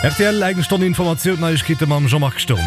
Rtl, Eng Stonn Informatioun, Neiegkeete mam Jean-Marc Sturm.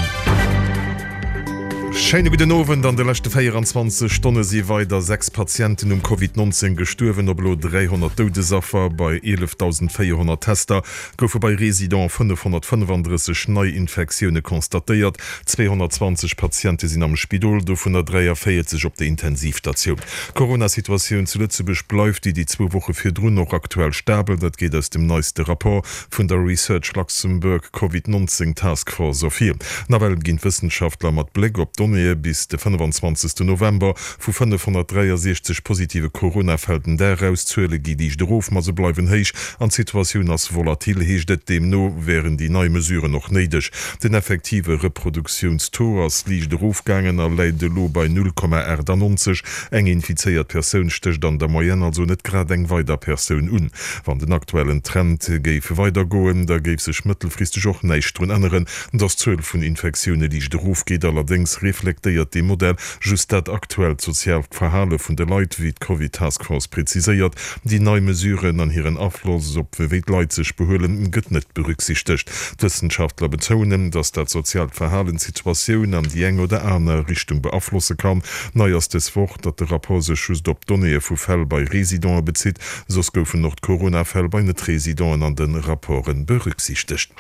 Schéine gudden Owend. An de leschte 24 Stonne si weider 6 Patienten um Covid 19 gestuerwen, op elo 300 Doudesaffer. Bei 11.400 Tester goufe bei Residenten 535 Neiinfektioune constatéiert. 220 Patiente sinn am Spidol, dovunner 43 op der Intensivstatioun. D'Corona-Situatioun zu Lëtzebuerg bleift déi déi zwou Woche virdrun och aktuell stabel. Dat geet aus dem neiste Rapport vun der Research Luxembourg Covid 19 Task Force ervir. Nawell ginn d'Wëssenschaftler mat Bléck op d'Donnéeë bis de 25 November vu 563 positive Corona-Fäll den Dag aus. D'Zuele gi liicht erof, ma se bleiwen héich an d'Situatioun ass volatil, heescht et. Deemno wären déi nei Mesuren och néideg. Den effektive Reproduktiounstaux ass liicht erofgaangen a läit elo bei 0,98. Eng infizéiert Persoun stécht an der Moyenne also net grad eng weider Persoun un. Wann den aktuellen Trend géif weidergoen, da géif sech mëttelfristeg och näischt drun änneren, datt d'Zuel vun Infektioune liicht erofgeet. Allerdéngs reflektéiert dee Modell just dat aktuellt soziaalt Verhale vun de Leit, wéi d'Covid Task Force preziséiert. Déi nei Mesuren an hiren Afloss op wéi d'Leit sech behuelen, gëtt net berücksichtegt. D'Wëssenschaftler betounen, datt dat soziaalt Verhalen d'Situatioun an déi eng oder aner Richtung beaflosse kann. Nei ass dës Woch, datt de Rapport sech just op d'Donnéeë vu Fäll bei Residente bezitt. Soss goufen och d'Corona-Fäll bei Net-Residenten an de Rapporte berücksichtegt.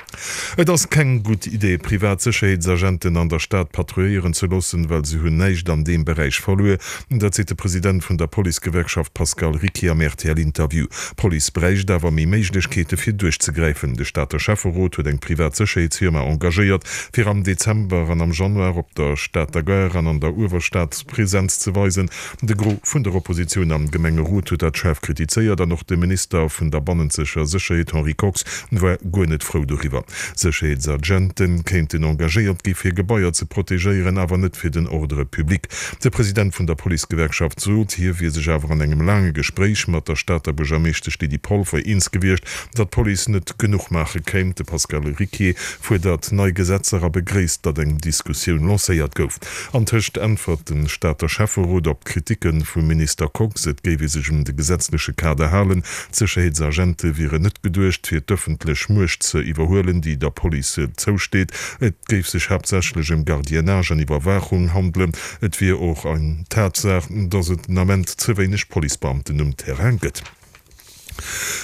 Et ass keng gutt Idee, privat Sécherheetsagenten an der Stad patrouilléieren ze loossen, well se hunn näischt an deem Beräich verluer. Dat seet de President vun der Policegewerkschaft Pascal Ricquier am RTL-Interview. D'Police bräicht awer méi Méiglechkeete fir duerchzegräifen. De Stater Schäfferot huet eng privat Sécherheetsfirma engagéiert, fir am Dezember an am Januar op der Stater Gare an an der Uewerstad Presenz ze weisen. De Gros vun der Oppositioun am Gemengerot huet dat schaarf kritizéiert an och de Minister vun der bannenzeger Sécherheet Henri Kox war guer net frou doriwwer. Sécherheetsagente kéinten engagéiert gi fir Gebaier ze protegéieren, awer net fir den Ordre public. De President vun der Policegewerkschaft sot, hie wier sech awer an engem laange Gespréich mat der Stater Buergermeeschtesch Lydie Polfer eens gewiescht, datt d'Police net genuch maache kéint. De Pascal Ricquier fuerdert nei Gesetzer a begréisst, datt eng Diskussioun lancéiert gouf. Antëscht äntwert de Stater Schäfferot op d'Kriticke vum Minister Kox, et géif ee sech un de gesetzleche Kader halen. D'Sécherheetsagente wieren net geduecht, fir d'ëffentlech Muecht ze iwwerhuelen, déi der Police zousteet. Et géif sech haaptsächlech ëm Gardiennage an Iwwerwaachung handelen. Et wier och eng Tatsaach, datt et den Ament ze wéineg Policebeamten um Terrain gëtt.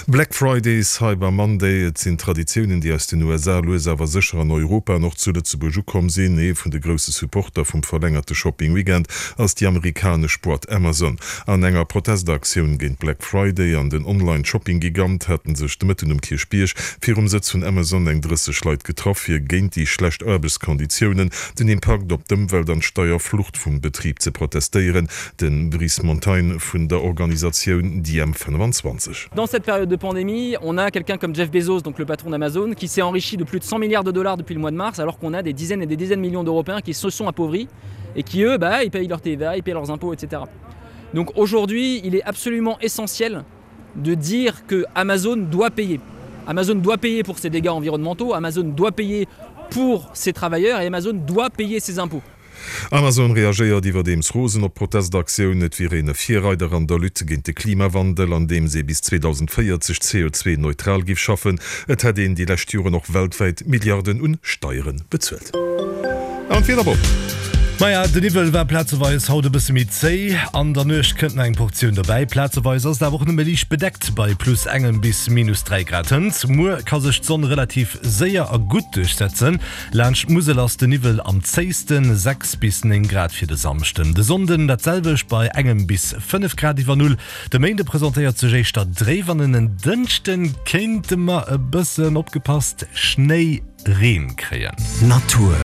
Black Friday, Cyber Monday, et sinn Traditiounen, déi aus den USA lues awer sécher an Europa an och zu Lëtzebuerg ukomm sinn. Ee vun de grousse Supporter vum verlängerte Shopping-Weekend ass déi amerikanesch Boîte Amazon. An enger Protestaktioun géint Black Friday an den Online-Shopping-Gigant hate sech de Mëtten um Kierchbierg virum Sëtz vun Amazon eng 30 Leit getraff, fir géint déi schlecht Aarbechtskonditiounen, den Impakt op d'Ëmwelt an d'Steierflucht vum Betrib ze protestéieren. De Brice Montagne vun der Organisatioun DiEm25. Dans cette période de pandémie, on a quelqu'un comme Jeff Bezos, donc le patron d'Amazon, qui s'est enrichi de plus de 100 milliards de dollars depuis le mois de mars, alors qu'on a des dizaines et des dizaines de millions d'Européens qui se sont appauvris et qui, eux, bah, ils payent leur TVA, ils payent leurs impôts, etc. Donc aujourd'hui, il est absolument essentiel de dire que Amazon doit payer. Amazon doit payer pour ses dégâts environnementaux, Amazon doit payer pour ses travailleurs et Amazon doit payer ses impôts. Amazon reagéiert iwwerdeems rosen op d'Protestaktioun. Et wier een e Virreider an der Lutte géint de Klimawandel, andeems ee bis 2040 CO2-neutral géif schaffen. Et hätt een déi lescht Joren och weltwäit Milliarden un Steiere bezuelt. An d'Wieder, Bob? Maja, de Niwwel war plazeweis haut e bësse méi zéi. An der Nuecht kënnt nach eng Portioun dobäi. Plazeweis ass et awer och nëmme liicht bedeckt bei plus engem bis minus 3 Grad. Hënt muer ka sech d'Sonn relativ séier a gutt duerchsetzen. Laanscht d'Musel ass de Niwwel am zéisten, 6 bis 9 Grad fir de Samschden. De Sonnden dat selwecht bei engem bis 5 Grad iwwer Null. De Méinde presentéiert sech éischter dréif an en Dënschde kéinte mer e bëssen, opgepasst, Schnéi-Reen kréien. Natur.